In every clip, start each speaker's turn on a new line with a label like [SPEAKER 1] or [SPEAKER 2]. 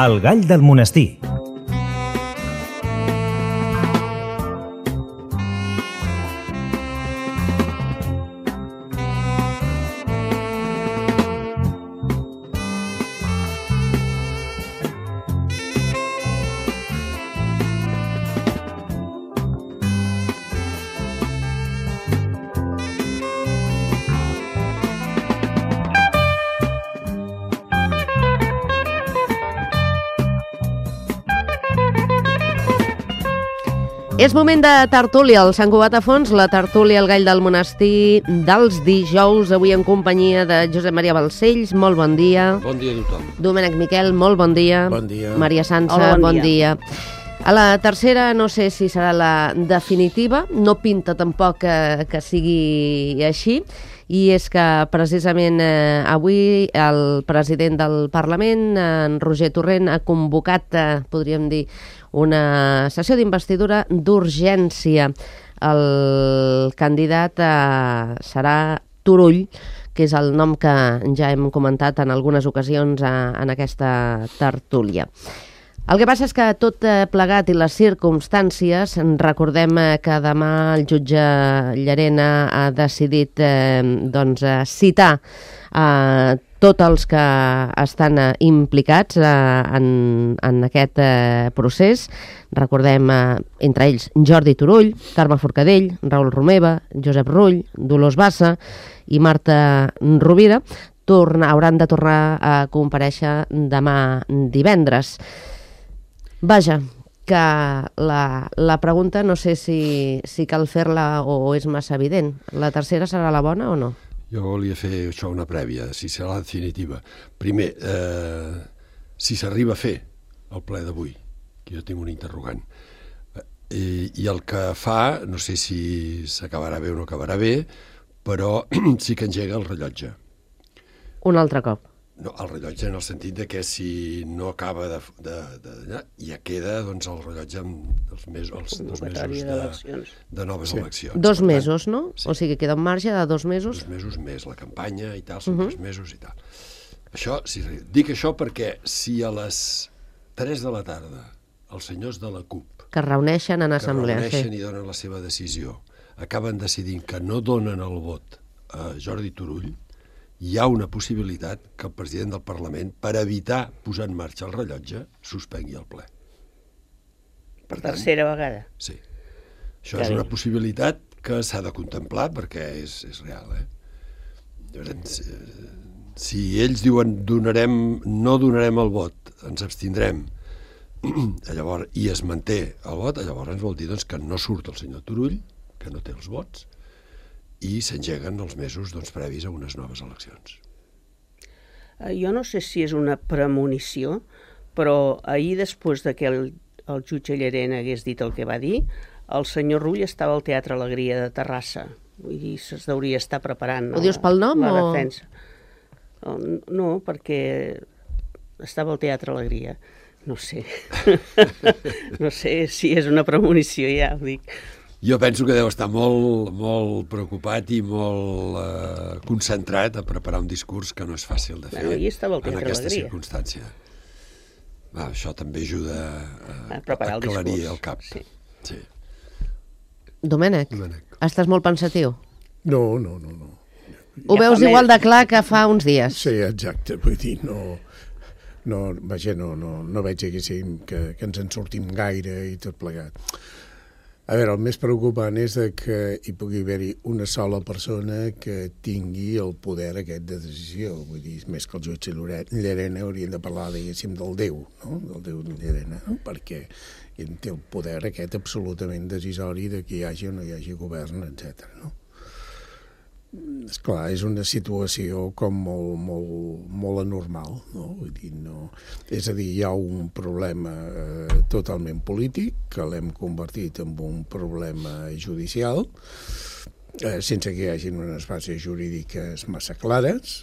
[SPEAKER 1] El gall del monestir.
[SPEAKER 2] És moment de tertúlia al Sant Cugat a Fons, la tertúlia al Gall del Monestir dels dijous, avui en companyia de Josep Maria Balcells, molt bon dia.
[SPEAKER 3] Bon dia a tothom.
[SPEAKER 2] Domènec Miquel, molt bon dia.
[SPEAKER 3] Bon dia.
[SPEAKER 2] Maria Sança,
[SPEAKER 4] Hola, bon
[SPEAKER 2] dia. A la tercera no sé si serà la definitiva, no pinta tampoc que sigui així, i és que precisament avui el president del Parlament, en Roger Torrent, ha convocat, podríem dir, una sessió d'investidura d'urgència. El candidat serà Turull, que és el nom que ja hem comentat en algunes ocasions en aquesta tertúlia. El que passa és que tot plegat i les circumstàncies, recordem que demà el jutge Llarena ha decidit citar tots els que estan implicats en aquest procés. Recordem, entre ells, Jordi Turull, Carme Forcadell, Raül Romeva, Josep Rull, Dolors Bassa i Marta Rovira hauran de tornar a comparèixer demà divendres. Vaja, que la pregunta no sé si cal fer-la o és massa evident. La tercera serà la bona o no?
[SPEAKER 3] Jo volia fer això una prèvia, si serà la definitiva. Primer, si s'arriba a fer el ple d'avui, que jo tinc un interrogant, i el que fa, no sé si s'acabarà bé o no acabarà bé, però sí que engega el rellotge.
[SPEAKER 2] Un altre cop.
[SPEAKER 3] No, el rellotge en el sentit de que si no acaba ja queda doncs, el rellotge amb els 2 mesos de noves eleccions.
[SPEAKER 2] 2 mesos, no? Sí. O sigui, queda un marge de 2 mesos.
[SPEAKER 3] 2 mesos més la campanya i tal, són 3 mesos i tal. Això, dic això perquè si a les 3 de la tarda els senyors de la CUP
[SPEAKER 2] que es reuneixen en assemblea,
[SPEAKER 3] i donen la seva decisió, acaben decidint que no donen el vot a Jordi Turull, hi ha una possibilitat que el president del Parlament, per evitar posar en marxa el rellotge, suspengui el ple.
[SPEAKER 4] Per tercera vegada.
[SPEAKER 3] Sí. Això és una possibilitat que s'ha de contemplar perquè és real. Llavors, si ells diuen no donarem el vot, ens abstindrem, llavors, i es manté el vot, llavors vol dir que no surt el senyor Turull, que no té els vots, i s'engeguen els mesos previs a unes noves eleccions.
[SPEAKER 4] Jo no sé si és una premonició, però ahir, després de que el jutge Llarena hagués dit el que va dir, el senyor Rull estava al Teatre Alegria de Terrassa. Vull dir, es deuria estar preparant
[SPEAKER 2] Ho dius pel nom
[SPEAKER 4] la defensa. No, perquè estava al Teatre Alegria. No sé. No sé si és una premonició, ja ho dic.
[SPEAKER 3] Jo penso que deu estar molt preocupat i molt concentrat a preparar un discurs que no és fàcil de fer en aquesta circumstància. Això també ajuda a aclarir el cap. Sí.
[SPEAKER 2] Domènec, estàs molt pensatiu?
[SPEAKER 5] No.
[SPEAKER 2] Ho veus igual de clar que fa uns dies?
[SPEAKER 5] Sí, exacte, vull dir, no veig que ens en sortim gaire i tot plegat. A veure, el més preocupant és que hi pugui haver-hi una sola persona que tingui el poder aquest de decisió. Vull dir, més que el jutge Llarena hauríem de parlar, diguéssim, del Déu, no? Del Déu Llarena, no? Perquè ell té el poder aquest absolutament decisori de que hi hagi o no hi hagi govern, etc. No? Esclar, és una situació com molt anormal, no? Vull dir, no. És a dir, hi ha un problema totalment polític que l'hem convertit en un problema judicial, sense que hi hagi unes bases jurídiques massa clares.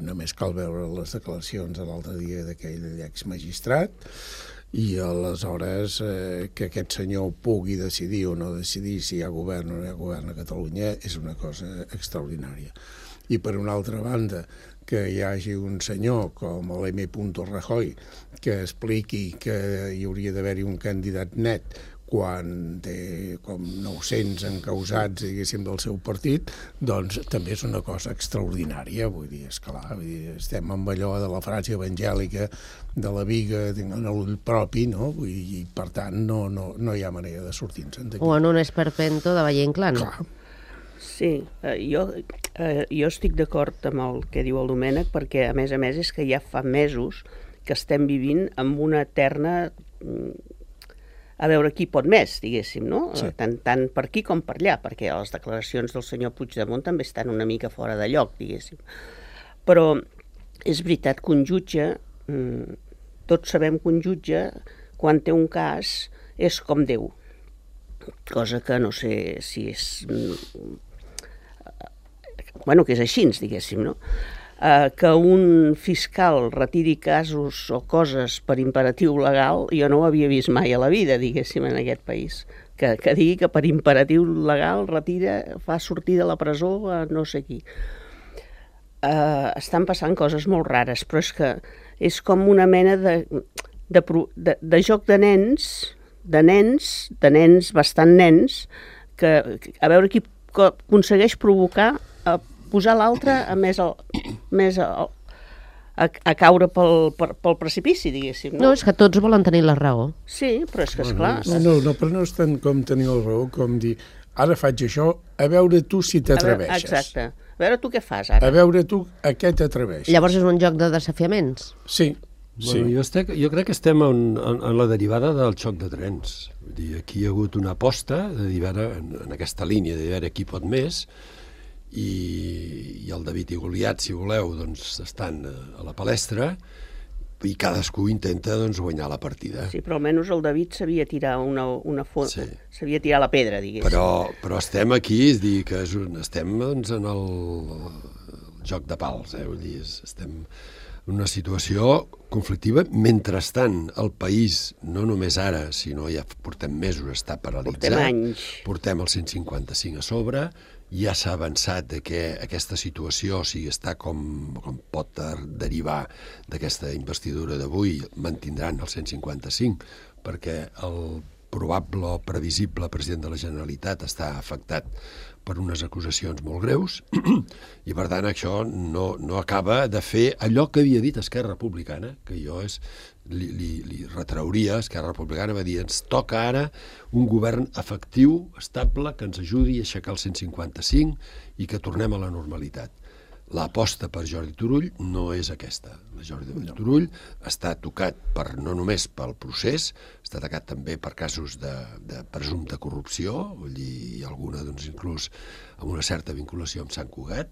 [SPEAKER 5] Només cal veure les declaracions de l'altre dia d'aquell exmagistrat, i aleshores que aquest senyor pugui decidir o no decidir si hi ha govern o no hi ha govern a Catalunya és una cosa extraordinària. I per una altra banda, que hi hagi un senyor com l'M. Rajoy que expliqui que hi hauria d'haver-hi un candidat net quan té com 900 encausats, diguéssim, del seu partit, doncs també és una cosa extraordinària. Vull dir, esclar, estem amb allò de la frase evangèlica de la viga en l'ull propi, no? I per tant no hi ha manera de sortir-se'n d'aquí.
[SPEAKER 2] O en un esperpento de Valle Inclán.
[SPEAKER 5] Clar.
[SPEAKER 4] Sí, jo estic d'acord amb el que diu el Domènec, perquè a més és que ja fa mesos que estem vivint amb una eterna a veure qui pot més, diguéssim, no?
[SPEAKER 5] Sí.
[SPEAKER 4] Tant per aquí com per allà, perquè les declaracions del senyor Puigdemont també estan una mica fora de lloc, diguéssim. Però és veritat que un jutge, tots sabem que un jutge, quan té un cas, és com Déu. Cosa que no sé si és... Bueno, que és així, diguéssim, no? Que un fiscal retiri casos o coses per imperatiu legal, jo no ho havia vist mai a la vida, diguéssim, en aquest país. Que digui que per imperatiu legal fa sortir de la presó a no sé qui. Estan passant coses molt rares, però és que és com una mena de joc de nens, bastant nens, que a veure qui aconsegueix provocar posar l'altre a caure pel precipici, diguéssim.
[SPEAKER 2] No, és que tots volen tenir la raó.
[SPEAKER 4] Sí, però és que, esclar...
[SPEAKER 5] No, però no és tant com tenir la raó, com dir, ara faig això, a veure tu si t'atreveixes.
[SPEAKER 4] Exacte. A veure tu què fas, ara.
[SPEAKER 5] A veure tu a què t'atreveixes.
[SPEAKER 2] Llavors és un joc de desafiaments.
[SPEAKER 5] Sí.
[SPEAKER 3] Bueno, jo crec que estem en la derivada del xoc de trens. Vull dir, aquí hi ha hagut una aposta en aquesta línia de veure qui pot més, i el David i Goliat, si voleu, doncs estan a la palestra i cadascú intenta guanyar la partida.
[SPEAKER 4] Sí, però almenys el David sabia tirar sabia tirar la pedra, diguéssim.
[SPEAKER 3] Però estem aquí, és dir, que estem en el joc de pals, vull dir, estem en una situació conflictiva. Mentrestant, el país, no només ara, sinó ja portem mesos, està paralitzat.
[SPEAKER 4] Portem anys.
[SPEAKER 3] Portem el 155 a sobre, ja s'ha avançat de que aquesta situació, o sigui, està com pot derivar d'aquesta investidura d'avui, mantindran el 155, perquè el probable o previsible president de la Generalitat està afectat per unes acusacions molt greus, i per tant això no acaba de fer allò que havia dit Esquerra Republicana, que jo li retrauria. Esquerra Republicana va dir, ens toca ara un govern efectiu, estable, que ens ajudi a aixecar el 155 i que tornem a la normalitat. L'aposta per Jordi Turull no és aquesta. Jordi Turull està tocat no només pel procés, està tocat també per casos de presumpte corrupció, vull dir, i alguna inclús amb una certa vinculació amb Sant Cugat.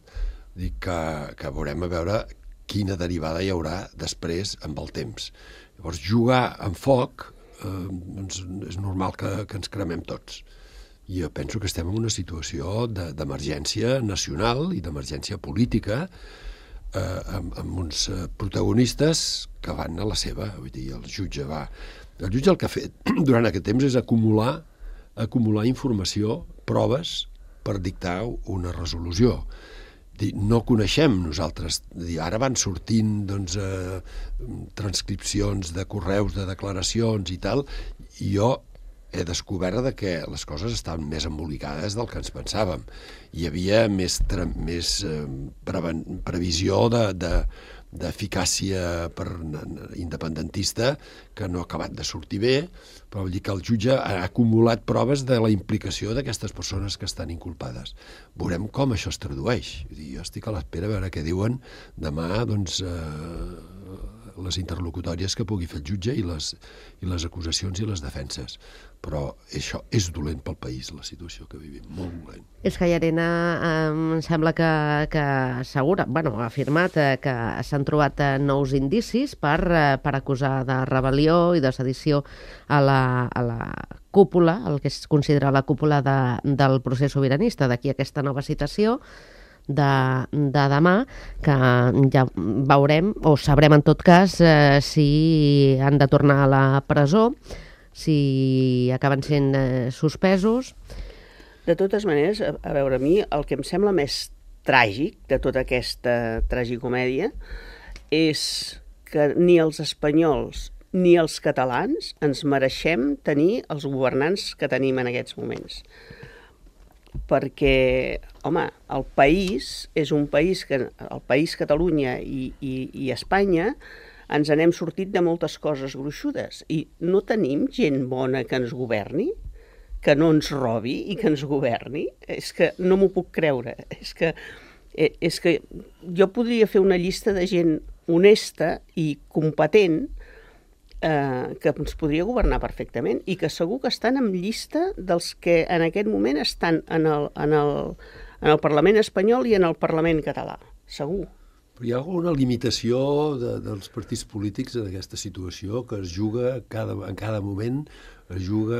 [SPEAKER 3] Dic que veurem a veure quina derivada hi haurà després amb el temps. Llavors, jugar amb foc és normal que ens cremem tots. I jo penso que estem en una situació d'emergència nacional i d'emergència política, amb uns protagonistes que van a la seva. Vull dir, el jutge el que ha fet durant aquest temps és acumular informació, proves, per dictar una resolució. No coneixem nosaltres. Ara van sortint transcripcions de correus, de declaracions i tal, i jo he descobert que les coses estaven més embolicades del que ens pensàvem. Hi havia més previsió d'eficàcia independentista que no ha acabat de sortir bé, però vol dir que el jutge ha acumulat proves de la implicació d'aquestes persones que estan inculpades. Veurem com això es tradueix. Jo estic a l'espera a veure què diuen demà les interlocutòries que pugui fer el jutge i les acusacions i les defenses. Però això és dolent pel país, la situació que vivim, molt dolent.
[SPEAKER 2] És que Llarena em sembla que assegura, ha afirmat que s'han trobat nous indicis per acusar de rebel·lió i de sedició a la cúpula, el que es considera la cúpula del procés sobiranista. D'aquí aquesta nova citació de demà, que ja veurem, o sabrem en tot cas, si han de tornar a la presó, si acaben sent suspesos.
[SPEAKER 4] De totes maneres, a veure, a mi el que em sembla més tràgic de tota aquesta tragicomèdia és que ni els espanyols ni els catalans ens mereixem tenir els governants que tenim en aquests moments. Perquè, home, el país és un país que, el país Catalunya i Espanya, ens n'hem sortit de moltes coses gruixudes i no tenim gent bona que ens governi, que no ens robi i que ens governi. És que no m'ho puc creure. És que jo podria fer una llista de gent honesta i competent que ens podria governar perfectament i que segur que estan en llista dels que en aquest moment estan en el Parlament espanyol i en el Parlament català, segur.
[SPEAKER 3] Però hi ha alguna limitació dels partits polítics en aquesta situació que es juga en cada moment, es juga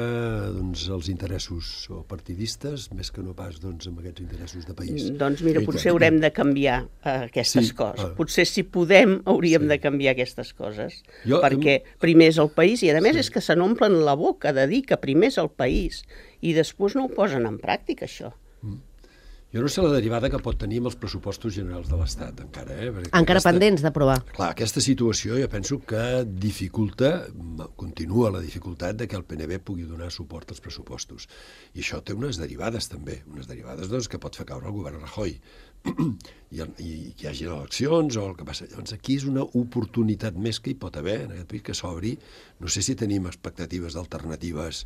[SPEAKER 3] doncs, els interessos partidistes més que no pas doncs, amb aquests interessos de país.
[SPEAKER 4] Doncs mira, potser haurem de canviar aquestes coses. Potser si podem hauríem de canviar aquestes coses. Perquè primer és el país i a més és que se n'omplen la boca de dir que primer és el país i després no ho posen en pràctica, això.
[SPEAKER 3] Jo no sé la derivada que pot tenir amb els pressupostos generals de l'Estat, encara.
[SPEAKER 2] Encara pendents d'aprovar.
[SPEAKER 3] Clar, aquesta situació jo penso que dificulta, continua la dificultat de que el PNB pugui donar suport als pressupostos. I això té unes derivades també, unes derivades doncs, que pot fer caure el govern Rajoy. I que hi hagi eleccions o el que passa. Llavors aquí és una oportunitat més que hi pot haver en aquest país que s'obri. No sé si tenim expectatives d'alternatives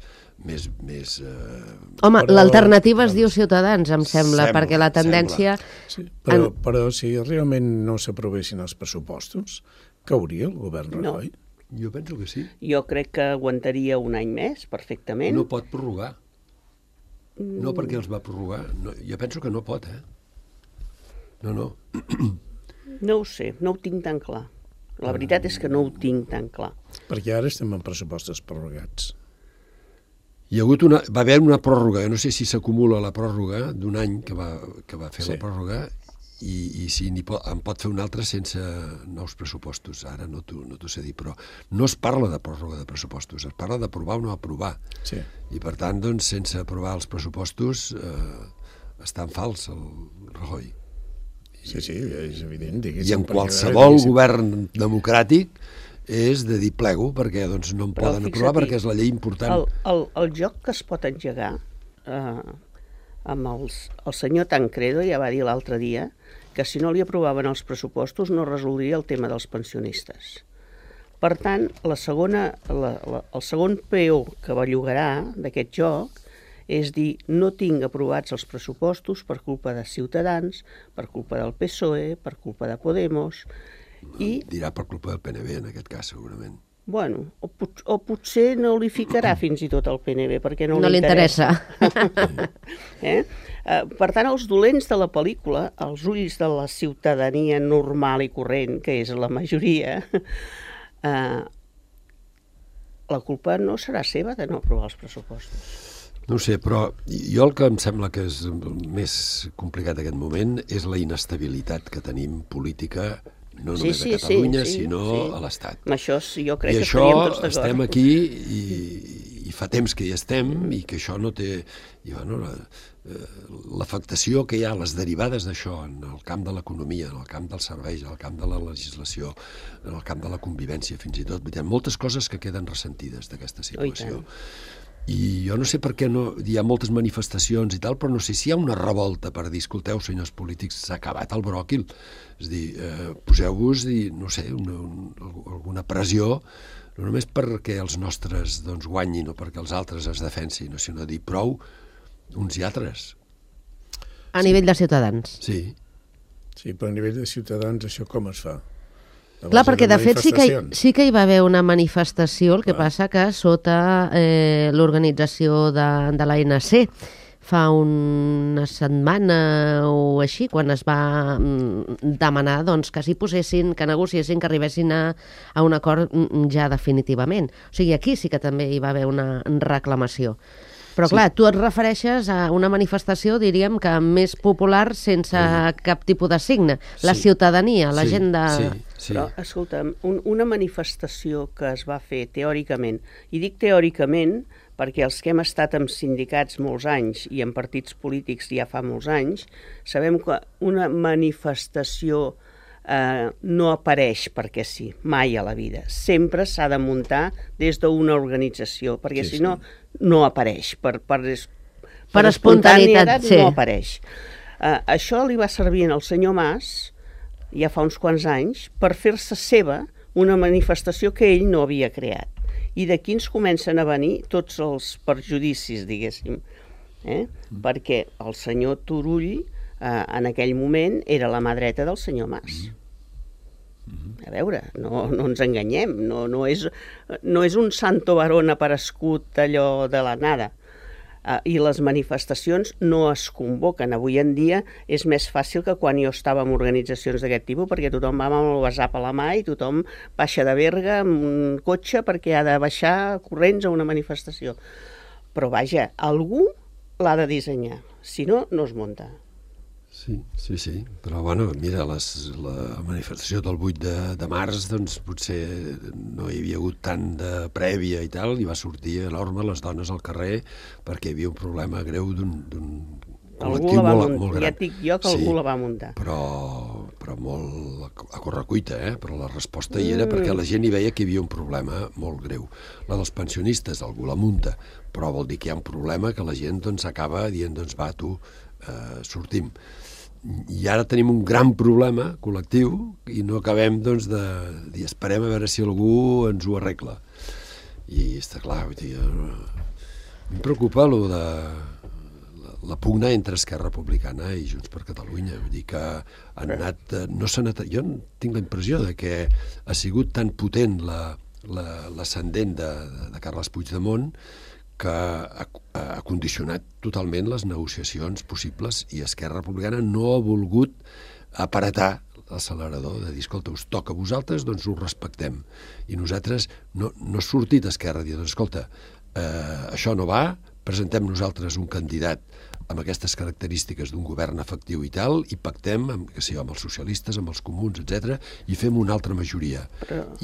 [SPEAKER 3] més...
[SPEAKER 2] Home, l'alternativa es diu Ciutadans, em sembla, perquè la tendència...
[SPEAKER 5] Sí, però si realment no s'aprovessin els pressupostos, cauria el govern Rajoy?
[SPEAKER 3] No. Jo penso que sí.
[SPEAKER 4] Jo crec que aguantaria un any més, perfectament.
[SPEAKER 3] No pot prorrogar. No perquè els va prorrogar. No, jo penso que no pot, No.
[SPEAKER 4] No ho sé, no ho tinc tan clar. La veritat és que no ho tinc tan clar.
[SPEAKER 5] Perquè ara estem en pressupostos prorrogats.
[SPEAKER 3] Va haver una pròrroga, no sé si s'acumula la pròrroga d'un any que va fer la pròrroga i si en pot fer una altra sense nous pressupostos. Ara no t'ho sé dir, però no es parla de pròrroga de pressupostos, es parla d'aprovar o no aprovar.
[SPEAKER 5] Sí.
[SPEAKER 3] I per tant, doncs, sense aprovar els pressupostos està en fals el Rajoy.
[SPEAKER 5] Sí, és evident.
[SPEAKER 3] I en qualsevol govern democràtic és de dir plego, perquè doncs, no en poden aprovar perquè és la llei important.
[SPEAKER 4] El joc que es pot engegar amb el senyor Tancredo ja va dir l'altre dia que si no li aprovaven els pressupostos no resoldria el tema dels pensionistes. Per tant, el segon peó que bellugarà d'aquest joc és dir, no tinc aprovats els pressupostos per culpa de Ciutadans, per culpa del PSOE, per culpa de Podemos...
[SPEAKER 3] Dirà per culpa del PNB, en aquest cas, segurament.
[SPEAKER 4] Bueno, o potser no li ficarà fins i tot al PNB, perquè no li
[SPEAKER 2] interessa.
[SPEAKER 4] Per tant, els dolents de la pel·lícula, els ulls de la ciutadania normal i corrent, que és la majoria, la culpa no serà seva de no aprovar els pressupostos.
[SPEAKER 3] No ho sé, però jo el que em sembla que és més complicat en aquest moment és la inestabilitat que tenim política, no només a Catalunya, sinó a l'Estat.
[SPEAKER 4] Amb això jo crec que estaríem tots d'acord.
[SPEAKER 3] I això estem aquí i fa temps que hi estem i que això no té... L'afectació que hi ha, les derivades d'això en el camp de l'economia, en el camp dels serveis, en el camp de la legislació, en el camp de la convivència, fins i tot. Hi ha moltes coses que queden ressentides d'aquesta situació. I jo no sé per què hi ha moltes manifestacions i tal, però no sé si hi ha una revolta per dir, escolteu, senyors polítics, s'ha acabat el bròquil. És a dir, poseu-vos, no sé, alguna pressió, no només perquè els nostres guanyin o perquè els altres es defensin, sinó dir prou uns i altres.
[SPEAKER 2] A nivell de Ciutadans.
[SPEAKER 3] Sí.
[SPEAKER 5] Sí, però a nivell de Ciutadans això com es fa?
[SPEAKER 2] Clar, perquè de fet sí que hi va haver una manifestació, el que passa que sota l'organització de l'ANC fa una setmana o així, quan es va demanar que s'hi posessin, que negociessin, que arribessin a un acord ja definitivament. O sigui, aquí sí que també hi va haver una reclamació. Però clar, tu et refereixes a una manifestació, diríem, que més popular sense cap tipus de signe. La ciutadania, la gent de...
[SPEAKER 3] Sí.
[SPEAKER 4] Però, escolta'm, una manifestació que es va fer teòricament, i dic teòricament perquè els que hem estat en sindicats molts anys i en partits polítics ja fa molts anys, sabem que una manifestació no apareix perquè sí, mai a la vida. Sempre s'ha de muntar des d'una organització, perquè si no, no apareix. Per espontaneïtat no apareix. Això li va servir al senyor Mas, ja fa uns quants anys, per fer-se seva una manifestació que ell no havia creat. I d'aquí ens comencen a venir tots els perjudicis, diguéssim. Perquè el senyor Turull, en aquell moment, era la mà dreta del senyor Mas. A veure, no ens enganyem, no és un santo varón aparegut allò de la nada. I les manifestacions no es convoquen. Avui en dia és més fàcil que quan jo estava en organitzacions d'aquest tipus, perquè tothom va amb el WhatsApp a la mà i tothom baixa de Berga amb un cotxe perquè ha de baixar corrents a una manifestació. Però vaja, algú l'ha de dissenyar, si no, no es munta.
[SPEAKER 3] Sí. Però, bueno, mira, la manifestació del 8 de març, doncs, potser no hi havia hagut tant de prèvia i tal, i va sortir enorme les dones al carrer perquè hi havia un problema greu d'un col·lectiu molt gran.
[SPEAKER 4] Ja et dic jo que algú la va muntar.
[SPEAKER 3] Però molt a correcuita, però la resposta hi era perquè la gent hi veia que hi havia un problema molt greu. La dels pensionistes, algú la munta, però vol dir que hi ha un problema que la gent doncs acaba dient, doncs va, tu, sortim. I ara tenim un gran problema col·lectiu i no acabem doncs de dir esperem a veure si algú ens ho arregla. I està clar, vull dir, em preocupa lo de la pugna entre Esquerra Republicana i Junts per Catalunya. Vull dir que han anat, no s'han anat, jo tinc la impressió de que ha sigut tan potent l'ascendent de Carles Puigdemont que ha condicionat totalment les negociacions possibles i Esquerra Republicana no ha volgut aparatar l'accelerador, de dir, escolta, us toca a vosaltres, doncs ho respectem. I nosaltres no ha sortit Esquerra a dir, doncs escolta, això no va, presentem nosaltres un candidat amb aquestes característiques d'un govern efectiu i tal, i pactem amb els socialistes, amb els comuns, etc, i fem una altra majoria.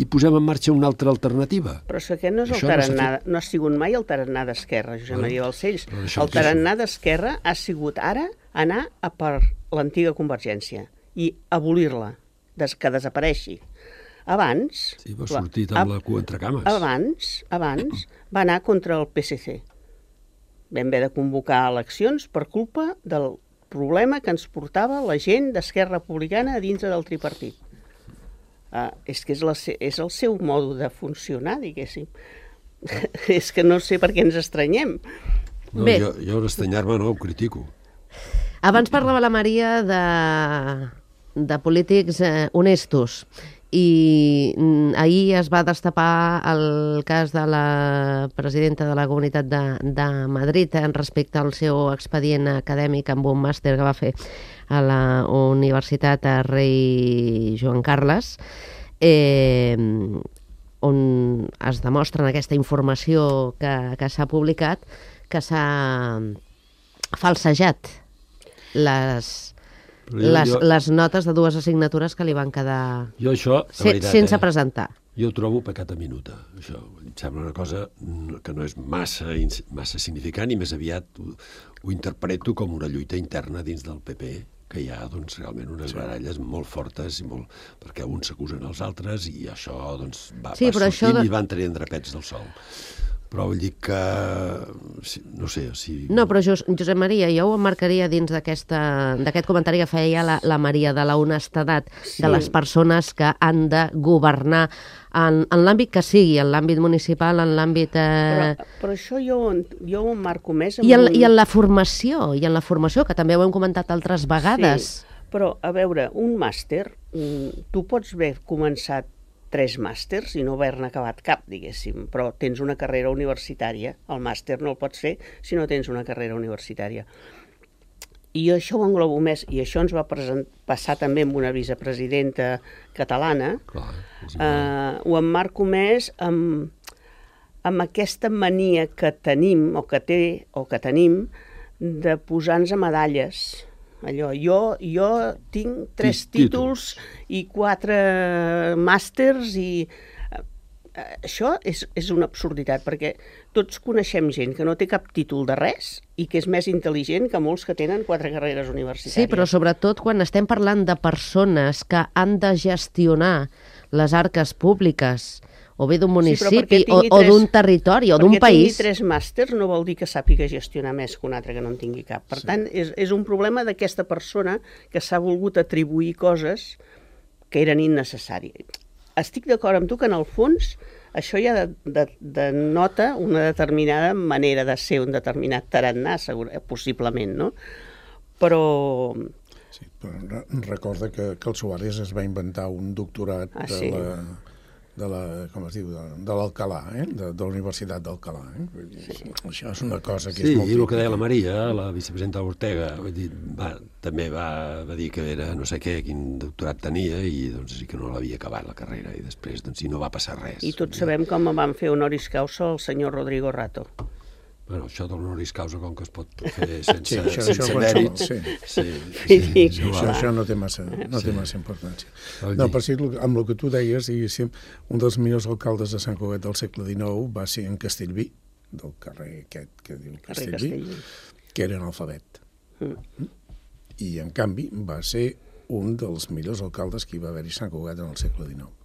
[SPEAKER 3] I posem en marxa una altra alternativa.
[SPEAKER 4] Però aquest no és el tarannà, no ha sigut mai el tarannà d'Esquerra, Josep Maria Balcells. El tarannà d'Esquerra ha sigut ara anar a per l'antiga Convergència i abolir-la, que desapareixi. Abans...
[SPEAKER 3] Sí, va sortir amb la cua entre cames.
[SPEAKER 4] Abans va anar contra el PSC. Vam haver de convocar eleccions per culpa del problema que ens portava la gent d'Esquerra Republicana a dintre del tripartit. És que és el seu mode de funcionar, diguéssim. És que no sé per què ens estranyem.
[SPEAKER 3] No, jo d'estranyar-me no, ho critico.
[SPEAKER 2] Abans parlava la Maria de polítics honestos. I ahir es va destapar el cas de la presidenta de la Comunitat de Madrid respecte al seu expedient acadèmic amb un màster que va fer a la Universitat Rei Joan Carles, on es demostra en aquesta informació que s'ha publicat que s'ha falsejat les notes de dues assignatures que li van quedar sense presentar.
[SPEAKER 3] Jo ho trobo pecat a minuta. Això em sembla una cosa que no és massa significant i més aviat ho interpreto com una lluita interna dins del PP, que hi ha doncs, realment unes baralles molt fortes perquè uns s'acusen als altres i això doncs, va sortint i van traient drapets del sol. Però vull dir que... no sé, si...
[SPEAKER 2] No, però Josep Maria, jo ho emmarcaria dins d'aquest comentari que feia la Maria, de la honestedat de les persones que han de governar en l'àmbit que sigui, en l'àmbit municipal, en l'àmbit...
[SPEAKER 4] Però això jo ho emmarco més...
[SPEAKER 2] I en la formació, que també ho hem comentat altres vegades.
[SPEAKER 4] Sí, però, a veure, un màster, tu pots haver començat 3 màsters i no haver-ne acabat cap, diguéssim, però tens una carrera universitària. El màster no el pots fer si no tens una carrera universitària. I això ho englobo més, i això ens va passar també amb una vicepresidenta catalana. Ho emmarco més amb amb aquesta mania que tenim, o que tenim, de posar-nos medalles. Allò, jo tinc 3 títols i 4 màsters i... Això és una absurditat, perquè tots coneixem gent que no té cap títol de res i que és més intel·ligent que molts que tenen 4 carreres universitàries.
[SPEAKER 2] Sí, però sobretot quan estem parlant de persones que han de gestionar les arques públiques, o bé d'un municipi, o d'un territori, o d'un país...
[SPEAKER 4] Perquè tingui 3 màsters no vol dir que sàpiga gestionar més que un altre que no en tingui cap. Per tant, és un problema d'aquesta persona que s'ha volgut atribuir coses que eren innecessàries. Estic d'acord amb tu que, en el fons, això ja denota una determinada manera de ser, un determinat tarannà, possiblement, no? Però...
[SPEAKER 5] Sí, però recorda que el Suárez es va inventar un doctorat de l'Alcalà, de la Universitat d'Alcalà. Això és una cosa que és molt...
[SPEAKER 3] Sí, i el que deia la Maria, la vicepresidenta Ortega, també va dir que era no sé què, quin doctorat tenia, i doncs sí que no l'havia acabat la carrera, i després no va passar res.
[SPEAKER 4] I tots sabem com van fer honoris causa el senyor Rodrigo Rato.
[SPEAKER 3] Bueno, això de l'honoris causa, com que es pot fer sense mèrits...
[SPEAKER 5] Això no té massa importància. No, per si amb el que tu deies, un dels millors alcaldes de Sant Cugat del segle XIX va ser en Castellví, del carrer aquest que diu Castellví, que era analfabet. I, en canvi, va ser un dels millors alcaldes que hi va haver-hi a Sant Cugat en el segle XIX.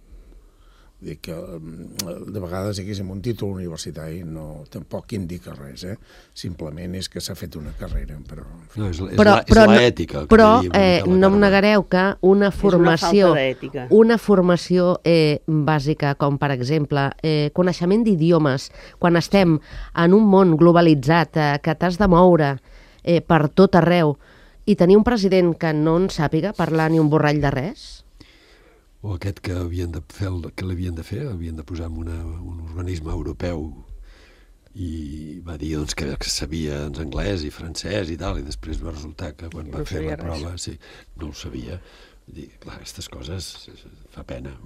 [SPEAKER 5] Vull dir que de vegades amb un títol universitari tampoc indica res, simplement és que s'ha fet una carrera, però...
[SPEAKER 3] No, és l'ètica.
[SPEAKER 2] Però no em negareu que una formació bàsica, com per exemple coneixement d'idiomes, quan estem en un món globalitzat, que t'has de moure per tot arreu, i tenir un president que no en sàpiga parlar ni un borrall de res...
[SPEAKER 3] O aquest que havien de fer havien de posar en un organisme europeu, i va dir que sabia anglès i francès i tal, i després va resultar que quan va fer la prova no ho sabia. Clar, aquestes coses fa pena.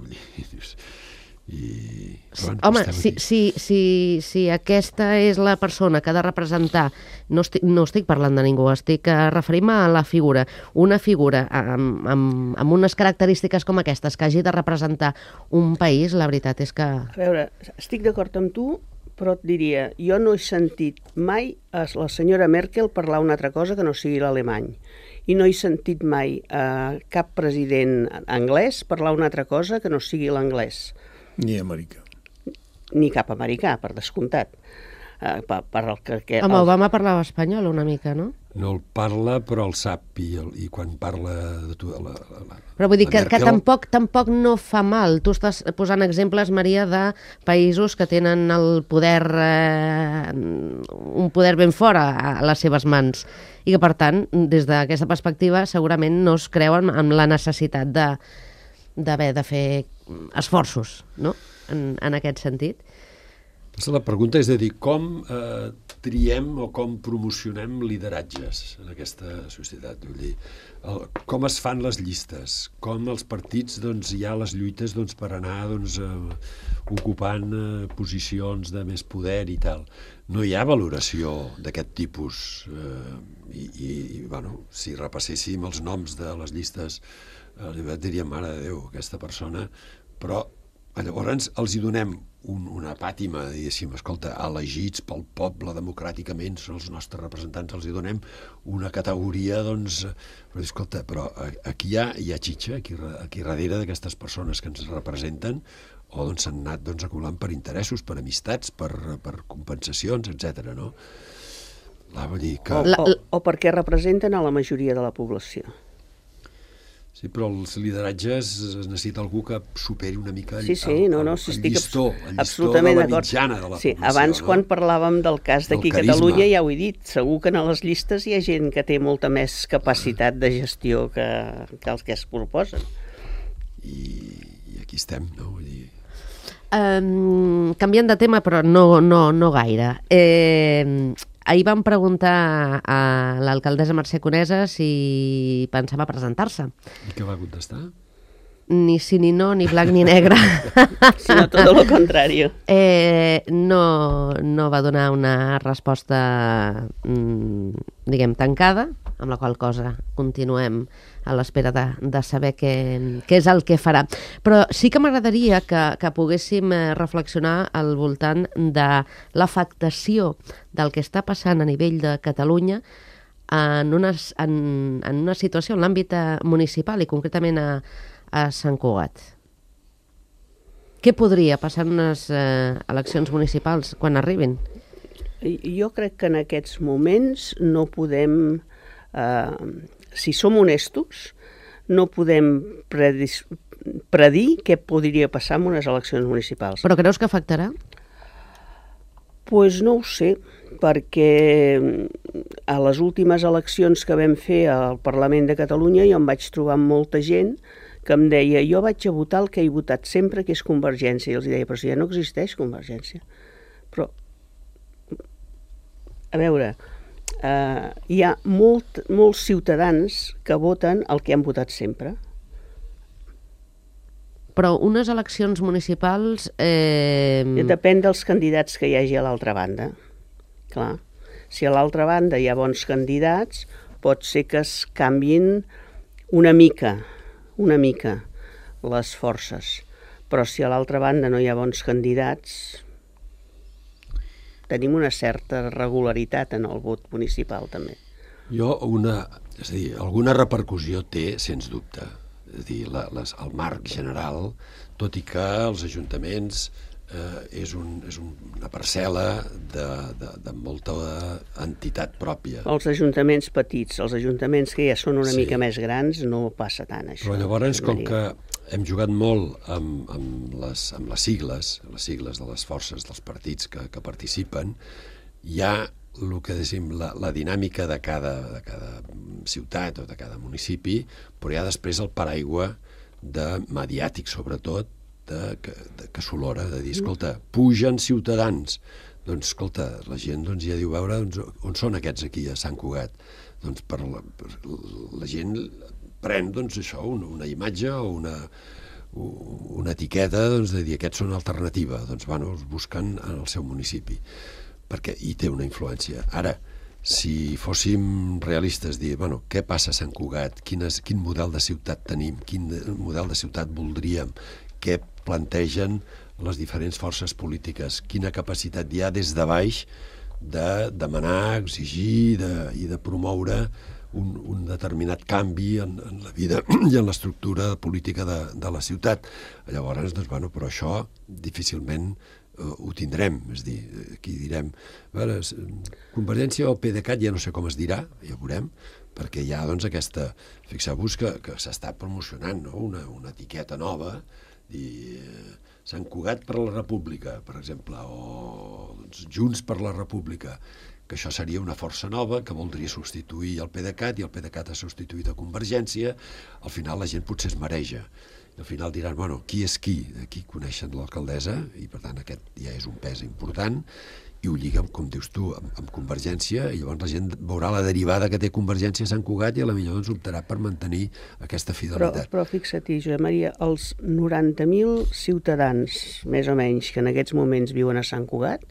[SPEAKER 2] Home, si aquesta és la persona que ha de representar, no estic parlant de ningú, estic referint-me a la figura, una figura amb unes característiques com aquestes que hagi de representar un país, la veritat és que...
[SPEAKER 4] A veure, estic d'acord amb tu, però et diria, jo no he sentit mai a la senyora Merkel parlar una altra cosa que no sigui l'alemany. I no he sentit mai a cap president anglès parlar una altra cosa que no sigui l'anglès.
[SPEAKER 5] Ni americà.
[SPEAKER 4] Ni cap americà, per descomptat.
[SPEAKER 2] Home, Obama parlava espanyol una mica, no?
[SPEAKER 3] No el parla, però el sap, i quan parla de tu...
[SPEAKER 2] Però vull dir que tampoc no fa mal. Tu estàs posant exemples, Maria, de països que tenen el poder, un poder ben fora a les seves mans, i que, per tant, des d'aquesta perspectiva, segurament no es creuen amb la necessitat d'haver de fer esforços, no?, en aquest sentit.
[SPEAKER 3] La pregunta és de dir, com triem o com promocionem lideratges en aquesta societat? Vull dir, com es fan les llistes? Com els partits hi ha les lluites per anar ocupant posicions de més poder i tal? No hi ha valoració d'aquest tipus. I si repasséssim els noms de les llistes, diríem, mare de Déu, aquesta persona, però llavors els hi donem una pàtima, diguéssim, escolta, elegits pel poble democràticament, són els nostres representants, els hi donem una categoria, però escolta, però aquí hi ha xitxa, aquí darrere d'aquestes persones que ens representen, o s'han anat acumulant per interessos, per amistats, per compensacions, etc. no? Vull dir que...
[SPEAKER 4] O perquè representen a la majoria de la població.
[SPEAKER 3] Sí, però els lideratges es necessita algú que superi una mica el llistó de la mitjana de la població.
[SPEAKER 4] Abans, quan parlàvem del cas d'aquí a Catalunya, ja ho he dit, segur que a les llistes hi ha gent que té molta més capacitat de gestió que els que es proposen.
[SPEAKER 3] I aquí estem, no? Vull dir...
[SPEAKER 2] Canviant de tema, però no gaire. Ahir vam preguntar a l'alcaldessa Mercè Conesa si pensava presentar-se.
[SPEAKER 3] I què va contestar?
[SPEAKER 2] ni sí ni no, ni blanc ni negre,
[SPEAKER 4] sinó tot el contrari.
[SPEAKER 2] no va donar una resposta, diguem, tancada, amb la qual cosa continuem a l'espera de saber què és el que farà. Però sí que m'agradaria que poguéssim reflexionar al voltant de l'afectació del que està passant a nivell de Catalunya en una situació en l'àmbit municipal i concretament a Sant Cugat. Què podria passar en unes eleccions municipals quan arribin?
[SPEAKER 4] Jo crec que en aquests moments no podem, si som honestos, no podem predir què podria passar en unes eleccions municipals.
[SPEAKER 2] Però creus que afectarà?
[SPEAKER 4] Pues no ho sé, perquè a les últimes eleccions que vam fer al Parlament de Catalunya jo em vaig trobar amb molta gent que em deia jo vaig a votar el que he votat sempre, que és Convergència. I els deia, però si ja no existeix Convergència. Però, a veure, hi ha molts ciutadans que voten el que han votat sempre.
[SPEAKER 2] Però unes eleccions municipals...
[SPEAKER 4] Depèn dels candidats que hi hagi a l'altra banda. Clar, si a l'altra banda hi ha bons candidats, pot ser que es canviïn una mica les forces. Però si a l'altra banda no hi ha bons candidats, tenim una certa regularitat en el vot municipal, també.
[SPEAKER 3] Alguna repercussió té, sens dubte. És a dir, el marc general, tot i que els ajuntaments és una parcel·la de molta entitat pròpia.
[SPEAKER 4] Els ajuntaments petits, els ajuntaments que ja són una mica més grans, no passa tant, això.
[SPEAKER 3] Però llavors, com que hem jugat molt amb les sigles de les forces dels partits que participen, hi ha el que dèiem, la dinàmica de cada ciutat o de cada municipi, però hi ha després el paraigua mediàtic, sobretot, que s'olora, de dir, escolta, pugen ciutadans. Doncs, escolta, la gent ja diu, veure, on són aquests aquí a Sant Cugat? Doncs la gent pren, això, una imatge o una etiqueta de dir, aquests són alternativa, doncs els busquen en el seu municipi, perquè hi té una influència. Ara, si fóssim realistes, dir, què passa a Sant Cugat, quin model de ciutat tenim, quin model de ciutat voldríem, què plantegen les diferents forces polítiques, quina capacitat hi ha des de baix de demanar, exigir i de promoure un determinat canvi en la vida i en l'estructura política de la ciutat. Llavors, però això difícilment ho tindrem, és a dir, aquí direm, Convergència o PDeCAT, ja no sé com es dirà, ja ho veurem, perquè hi ha aquesta, fixeu-vos que s'està promocionant una etiqueta nova, Sant Cugat per la República, per exemple, o Junts per la República, que això seria una força nova que voldria substituir el PDeCAT i el PDeCAT ha substituït a Convergència. Al final la gent potser es mareja. I al final diran, qui és qui? Aquí coneixen l'alcaldessa i per tant aquest ja és un pes important i ho lliga, com dius tu, amb Convergència, i llavors la gent veurà la derivada que té Convergència a Sant Cugat i potser optarà per mantenir aquesta fidelitat.
[SPEAKER 4] Però fixa-t'hi, Josep Maria, els 90.000 ciutadans, més o menys, que en aquests moments viuen a Sant Cugat,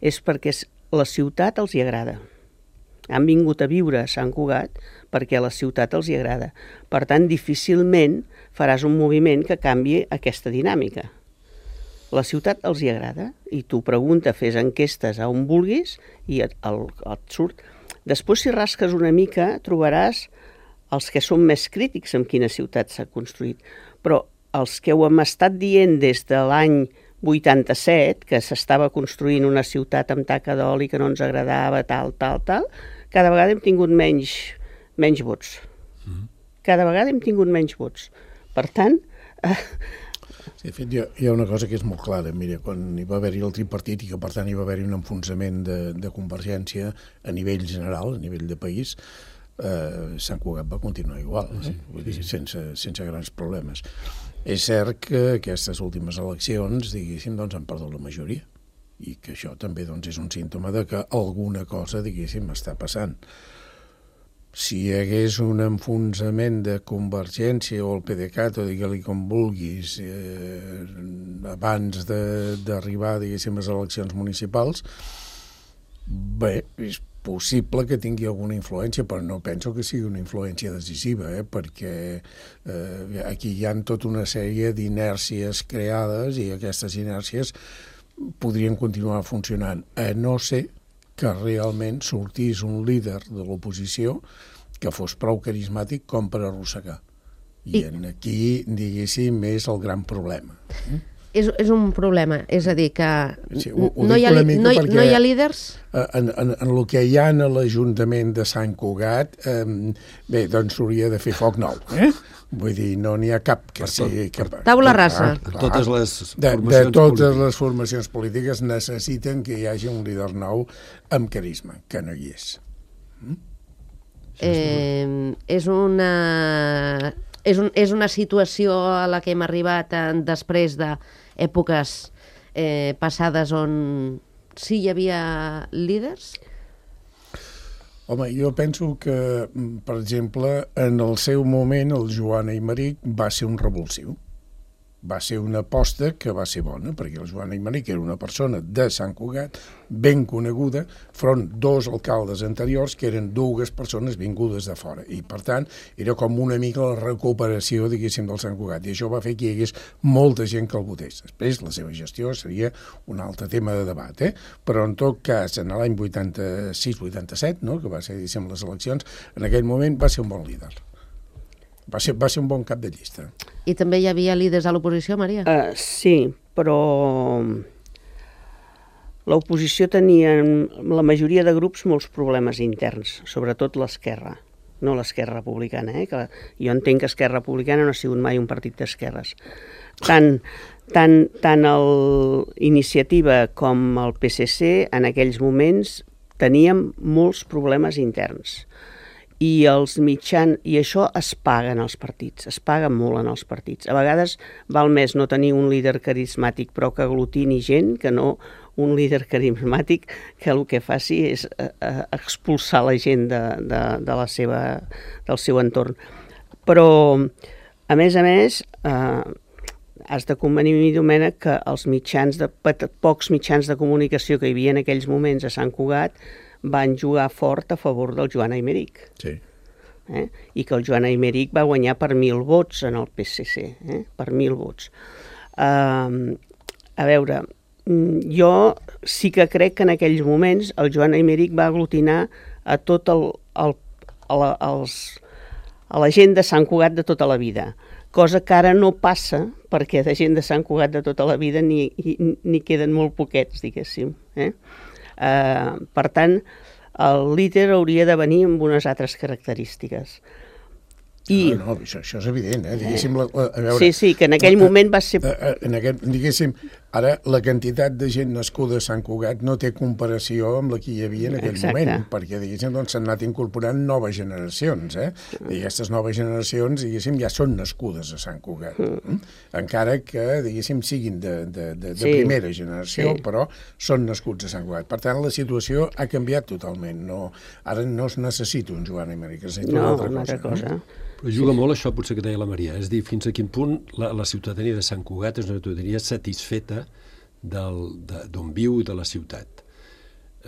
[SPEAKER 4] és perquè la ciutat els hi agrada. Han vingut a viure a Sant Cugat perquè la ciutat els hi agrada. Per tant, difícilment faràs un moviment que canviï aquesta dinàmica. La ciutat els hi agrada i tu pregunta, fes enquestes a on vulguis i et surt. Després, si rasques una mica, trobaràs els que són més crítics amb quina ciutat s'ha construït. Però els que ho hem estat dient des de l'any 87, que s'estava construint una ciutat amb taca d'oli que no ens agradava, tal, cada vegada hem tingut menys vots. Cada vegada hem tingut menys vots. Per tant...
[SPEAKER 5] Sí, de fet, hi ha una cosa que és molt clara. Mira, quan hi va haver-hi el tripartit i que per tant hi va haver-hi un enfonsament de Convergència a nivell general, a nivell de país, Sant Cugat va continuar igual, vull dir, sense grans problemes. És cert que aquestes últimes eleccions, diguéssim, han perdut la majoria i que això també és un símptoma de que alguna cosa, diguéssim, està passant. si hi hagués un enfonsament de Convergència o el PDeCAT, o digue-li com vulguis, abans d'arribar, diguéssim, a les eleccions municipals, bé, és possible que tingui alguna influència, però no penso que sigui una influència decisiva, perquè aquí hi ha tota una sèrie d'inèrcies creades i aquestes inèrcies podrien continuar funcionant, a no ser que realment sortís un líder de l'oposició que fos prou carismàtic com per arrossegar. I aquí, diguéssim, és el gran problema.
[SPEAKER 2] És un problema, és a dir, que no hi ha líders?
[SPEAKER 5] En el que hi ha a l'Ajuntament de Sant Cugat, bé, doncs s'hauria de fer foc nou, Vull dir, no n'hi ha cap que sigui...
[SPEAKER 2] Taula rasa.
[SPEAKER 3] Totes les
[SPEAKER 5] de totes les formacions polítiques necessiten que hi hagi un líder nou amb carisma, que no hi és.
[SPEAKER 2] És una situació a la que hem arribat després d'èpoques passades on sí hi havia líders?
[SPEAKER 5] Home, jo penso que, per exemple, en el seu moment el Joan Aymeric va ser un revulsiu. Va ser una aposta que va ser bona, perquè el Joan Aymeric era una persona de Sant Cugat, ben coneguda, front dos alcaldes anteriors que eren dues persones vingudes de fora. I, per tant, era com una mica la recuperació, diguéssim, del Sant Cugat. I això va fer que hi hagués molta gent que el votés. Després, la seva gestió seria un altre tema de debat, Però, en tot cas, en l'any 86-87, que va ser, diguéssim, les eleccions, en aquell moment va ser un bon líder. Va ser un bon cap de llista.
[SPEAKER 2] I també hi havia líders a l'oposició, Maria?
[SPEAKER 4] Sí, però l'oposició tenia, la majoria de grups, molts problemes interns, sobretot l'esquerra, no l'esquerra republicana. Que jo entenc que Esquerra Republicana no ha sigut mai un partit d'esquerres. Tant l'Iniciativa com el PSC, en aquells moments, teníem molts problemes interns. I això es paga en els partits, es paga molt en els partits. A vegades val més no tenir un líder carismàtic però que aglutini gent que no un líder carismàtic que el que faci és expulsar la gent del seu entorn. Però, a més, has de convenir amb mi, Domènec, que els pocs mitjans de comunicació que hi havia en aquells moments a Sant Cugat van jugar fort a favor del Joan Aymeric.
[SPEAKER 5] Sí.
[SPEAKER 4] I que el Joan Aymeric va guanyar per 1.000 vots en el PSC, per 1.000 vots. A veure, jo sí que crec que en aquells moments el Joan Aymeric va aglutinar a tot a la gent de Sant Cugat de tota la vida, cosa que ara no passa perquè de gent de Sant Cugat de tota la vida n'hi queden molt poquets, diguéssim. Per tant, el líder hauria de venir amb unes altres característiques.
[SPEAKER 5] No, això és evident, diguéssim, a veure...
[SPEAKER 4] Sí, que en aquell moment va ser...
[SPEAKER 5] Diguéssim, ara la quantitat de gent nascuda a Sant Cugat no té comparació amb la que hi havia en aquell moment, perquè, diguéssim, s'han anat incorporant noves generacions, i aquestes noves generacions, diguéssim, ja són nascudes a Sant Cugat, encara que, diguéssim, siguin de primera generació, però són nascuts a Sant Cugat. Per tant, la situació ha canviat totalment. Ara no es necessita un Joan Aymeric, es necessita una altra cosa.
[SPEAKER 3] Però juga molt això, potser que deia la Maria, és dir, fins a quin punt la ciutadania de Sant Cugat és una ciutadania satisfeta d'on viu i de la ciutat.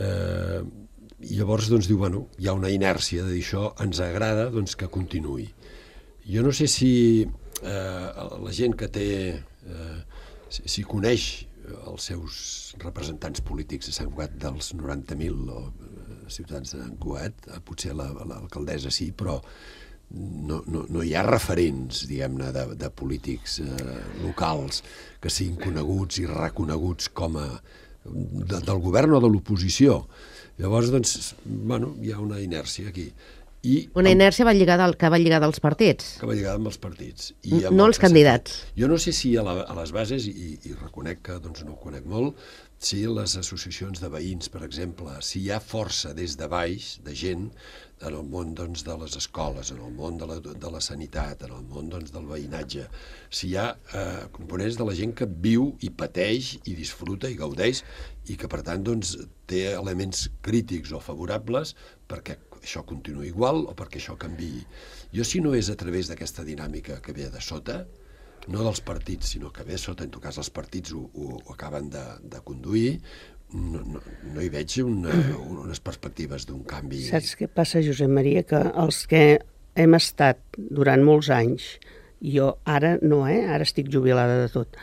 [SPEAKER 3] I llavors diu, bueno, hi ha una inèrcia de dir això, ens agrada que continuï. Jo no sé si la gent que té, si coneix els seus representants polítics a Sant Cugat dels 90.000 ciutadans de Sant Cugat, potser l'alcaldessa sí, però no hi ha referents, diguem-ne, de polítics locals que siguin coneguts i reconeguts com a del govern o de l'oposició. Llavors, bueno, hi ha una inèrcia aquí.
[SPEAKER 2] Una inèrcia que va lligada als partits.
[SPEAKER 3] Que va lligada amb els partits.
[SPEAKER 2] No als candidats.
[SPEAKER 3] Jo no sé si a les bases, i reconec que no ho conec molt, si les associacions de veïns, per exemple, si hi ha força des de baix, de gent, en el món de les escoles, en el món de la sanitat, en el món del veïnatge, si hi ha components de la gent que viu i pateix i disfruta i gaudeix i que, per tant, té elements crítics o favorables perquè això continuï igual o perquè això canviï. Jo, si no és a través d'aquesta dinàmica que ve de sota, no dels partits, sinó que ve sota, en tot cas els partits ho acaben de conduir, no hi veig unes perspectives d'un canvi.
[SPEAKER 4] Saps què passa, Josep Maria? Que els que hem estat durant molts anys, jo ara no, ara estic jubilada de tot,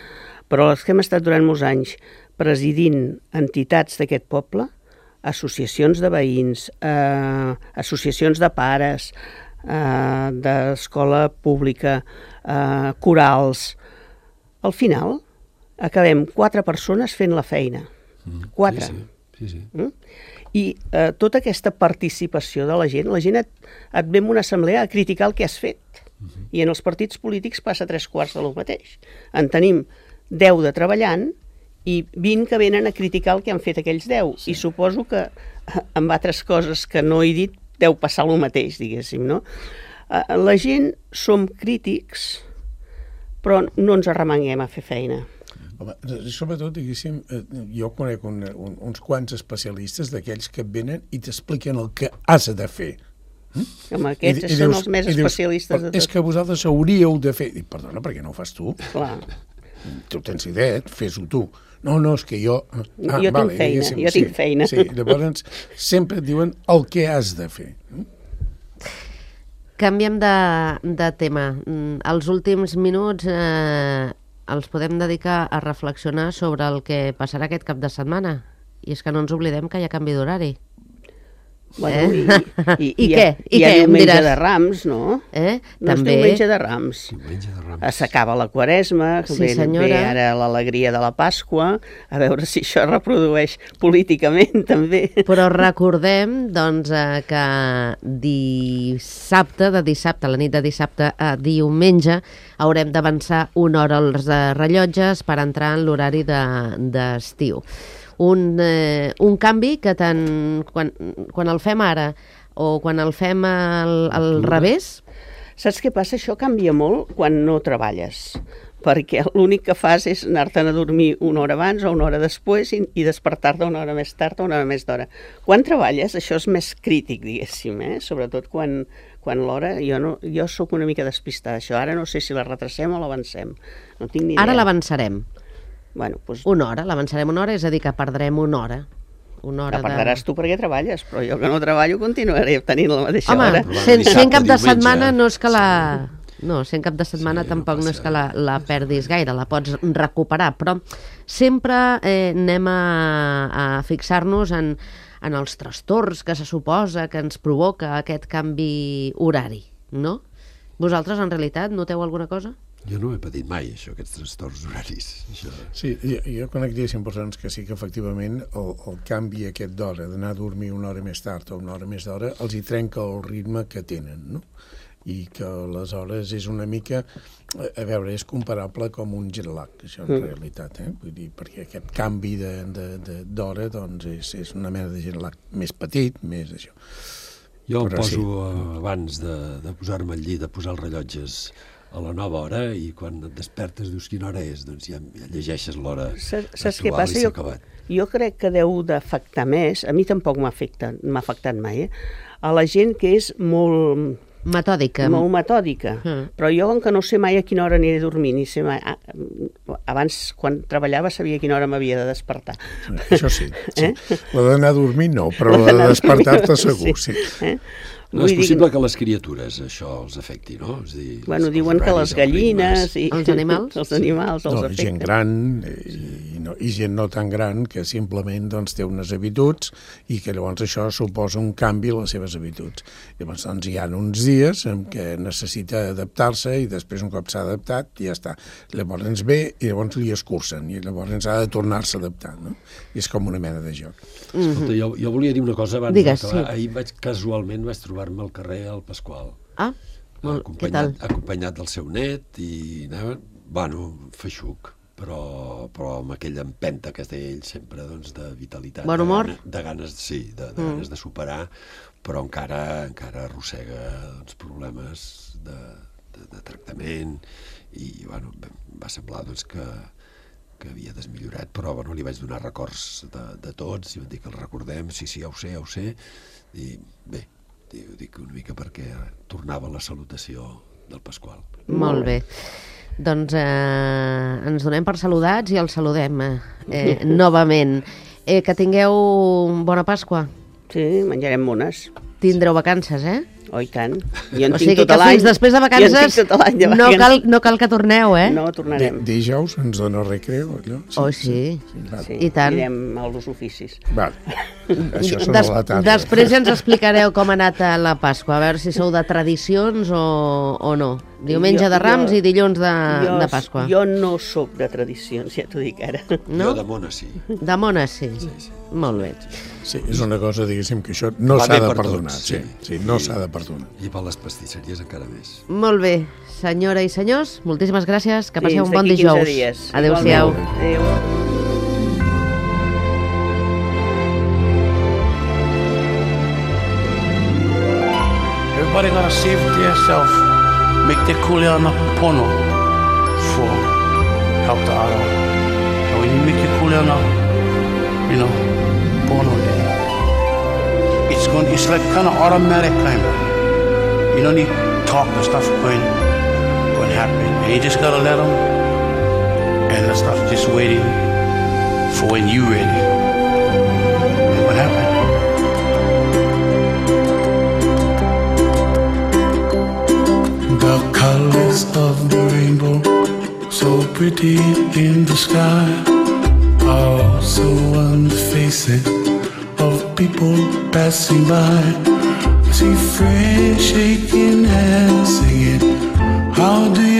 [SPEAKER 4] però els que hem estat durant molts anys presidint entitats d'aquest poble, associacions de veïns, associacions de pares, d'escola pública, corals, al final acabem 4 persones fent la feina. 4.
[SPEAKER 3] Sí.
[SPEAKER 4] I tota aquesta participació de la gent et ve en una assemblea a criticar el que has fet. I en els partits polítics passa 3/4 del mateix. En tenim 10 de treballant i 20 que venen a criticar el que han fet aquells 10. Sí. I suposo que amb altres coses que no he dit deu passar el mateix, diguéssim, no? La gent som crítics, però no ens arremanguem a fer feina.
[SPEAKER 5] Home, sobretot, diguéssim, jo conec uns quants especialistes d'aquells que et venen i t'expliquen el que has de fer.
[SPEAKER 4] Home, aquests són els més especialistes de tot.
[SPEAKER 5] És que vosaltres hauríeu de fer... I, perdona, per què no ho fas tu?
[SPEAKER 4] Clar.
[SPEAKER 5] Tu tens idea, fes-ho tu. No, és que jo...
[SPEAKER 4] Jo tinc feina.
[SPEAKER 5] Sí, llavors sempre et diuen el que has de fer.
[SPEAKER 2] Canviem de tema. Els últims minuts els podem dedicar a reflexionar sobre el que passarà aquest cap de setmana. I és que no ens oblidem que hi ha canvi d'horari.
[SPEAKER 4] Bueno,
[SPEAKER 2] I què?
[SPEAKER 4] Hi ha diumenge de Rams, no? No és
[SPEAKER 2] També.
[SPEAKER 4] diumenge de Rams. S'acaba la Quaresma,
[SPEAKER 2] Sí,
[SPEAKER 4] ve ara l'alegria de la Pasqua, a veure si això es reprodueix políticament, també.
[SPEAKER 2] Però recordem, doncs, que de dissabte, la nit de dissabte a diumenge, haurem d'avançar una hora els rellotges per entrar en l'horari d'estiu. Un canvi que tant quan el fem ara o quan el fem al revés...
[SPEAKER 4] Saps què passa? Això canvia molt quan no treballes, perquè l'únic que fas és anar-te'n a dormir una hora abans o una hora després i despertar-te una hora més tard o una hora més d'hora. Quan treballes això és més crític, diguéssim, sobretot quan l'hora... Jo sóc una mica despistada, això. Ara no sé si la retracem o l'avancem. No tinc ni idea.
[SPEAKER 2] Ara l'avançarem.
[SPEAKER 4] Bueno, doncs...
[SPEAKER 2] Una hora, l'avançarem una hora, és a dir, que perdrem una hora.
[SPEAKER 4] La perdràs tu perquè treballes, però jo que no treballo continuaré tenint la mateixa hora.
[SPEAKER 2] Home, sent cap de setmana no és que la... No, sent cap de setmana tampoc no és que la perdis gaire, la pots recuperar, però sempre anem a fixar-nos en els trastorns que se suposa que ens provoca aquest canvi horari, no? Vosaltres, en realitat, noteu alguna cosa?
[SPEAKER 3] Jo no he patit mai, això, aquests trastorns horaris. Això.
[SPEAKER 5] Sí, jo conec 10 persones que sí que efectivament el canvi aquest d'hora, d'anar a dormir una hora més tard o una hora més d'hora, els hi trenca el ritme que tenen, no? I que aleshores és una mica, a veure, és comparable com un jet lag, això en realitat, Vull dir, perquè aquest canvi d'hora, doncs, és una mena de jet lag més petit, més això.
[SPEAKER 3] Jo em poso abans de posar-me al llit, de posar els rellotges a la nova hora i quan et despertes dius quina hora és, doncs ja llegeixes l'hora
[SPEAKER 4] Saps què passa? Jo crec que deu d'afectar més, a mi tampoc m'ha afectat mai, a la gent que és molt...
[SPEAKER 2] Metòdica.
[SPEAKER 4] Molt metòdica. Però jo, com que no sé mai a quina hora aniré a dormir, ni sé mai... Abans, quan treballava, sabia a quina hora m'havia de despertar.
[SPEAKER 5] Això sí. La d'anar a dormir no, però la de despertar-te segur, sí.
[SPEAKER 3] No és possible que les criatures això els afecti, no? És dir,
[SPEAKER 4] diuen que les gallines...
[SPEAKER 2] Els animals?
[SPEAKER 4] Els animals els afecten.
[SPEAKER 5] Gent gran i gent no tan gran que simplement té unes habituds i que llavors això suposa un canvi a les seves habituds. Llavors hi ha uns dies en què necessita adaptar-se i després un cop s'ha adaptat ja està. Llavors ve i llavors li escurcen i llavors ha de tornar-se a adaptar, no? I és com una mena de joc.
[SPEAKER 3] Escolta, jo volia dir una cosa abans
[SPEAKER 2] d'acabar.
[SPEAKER 3] Ahir casualment vaig trobar-me al carrer al Pasqual.
[SPEAKER 2] Què tal?
[SPEAKER 3] Acompanyat del seu net i anava, feixuc, però amb aquella empenta que es deia ell sempre, doncs, de vitalitat.
[SPEAKER 2] Bon humor?
[SPEAKER 3] De ganes, sí, de ganes de superar, però encara arrossega doncs, problemes de tractament i, va semblar doncs, que havia desmillorat, però li vaig donar records de tots i van dir que el recordem, sí, ja ho sé, i bé, Ho dic una mica perquè tornava la salutació del Pasqual.
[SPEAKER 2] Molt bé. Doncs ens donem per saludats i els saludem novament. Que tingueu bona Pasqua.
[SPEAKER 4] Sí, menjarem mones.
[SPEAKER 2] Tindreu vacances,
[SPEAKER 4] Oh, i tant. Jo en
[SPEAKER 2] O
[SPEAKER 4] tinc
[SPEAKER 2] sigui
[SPEAKER 4] tot
[SPEAKER 2] que
[SPEAKER 4] l'any.
[SPEAKER 2] fins després de vacances
[SPEAKER 4] Jo en tinc tot l'any de vacances.
[SPEAKER 2] no cal que torneu,
[SPEAKER 4] No, tornarem.
[SPEAKER 5] Dijous ens dona recreo, allò?
[SPEAKER 2] Oh, sí.
[SPEAKER 4] Sí,
[SPEAKER 2] I tant.
[SPEAKER 4] anirem als oficis.
[SPEAKER 5] Val. Això són a la tarda.
[SPEAKER 2] Després ja ens explicareu com ha anat la Pasqua, a veure si sou de tradicions o no. Diumenge de Rams i dilluns de Pasqua.
[SPEAKER 4] Jo no sóc de tradicions, ja t'ho dic ara.
[SPEAKER 2] No?
[SPEAKER 3] Jo de Mona sí.
[SPEAKER 2] De Mona, sí. Molt bé.
[SPEAKER 5] Sí, és una cosa, diguéssim, que això no
[SPEAKER 3] Va
[SPEAKER 5] s'ha
[SPEAKER 3] bé
[SPEAKER 5] de
[SPEAKER 3] per
[SPEAKER 5] perdonar.
[SPEAKER 3] tots,
[SPEAKER 5] Sí, no s'ha de perdonar.
[SPEAKER 3] I per les pastisseries encara més.
[SPEAKER 2] Molt bé. Senyora i senyors, moltíssimes gràcies. Que passeu un
[SPEAKER 4] Fins
[SPEAKER 2] bon
[SPEAKER 4] d'aquí
[SPEAKER 2] dijous.
[SPEAKER 4] 15 dies.
[SPEAKER 2] Adéu-siau.
[SPEAKER 4] Igualment. Adéu.
[SPEAKER 1] Everybody gotta save it to yourself. Make the kuleana pono for help the other. And when you make your kuleana, pono there, it's like kind of automatic kind of. You don't need to talk, the stuff going happen. And you just gotta let them, and the stuff just waiting for when you ready. And what happened? The colors of the rainbow, so pretty in the sky, are also on the faces of people passing by. I see friends shaking hands, singing, how do you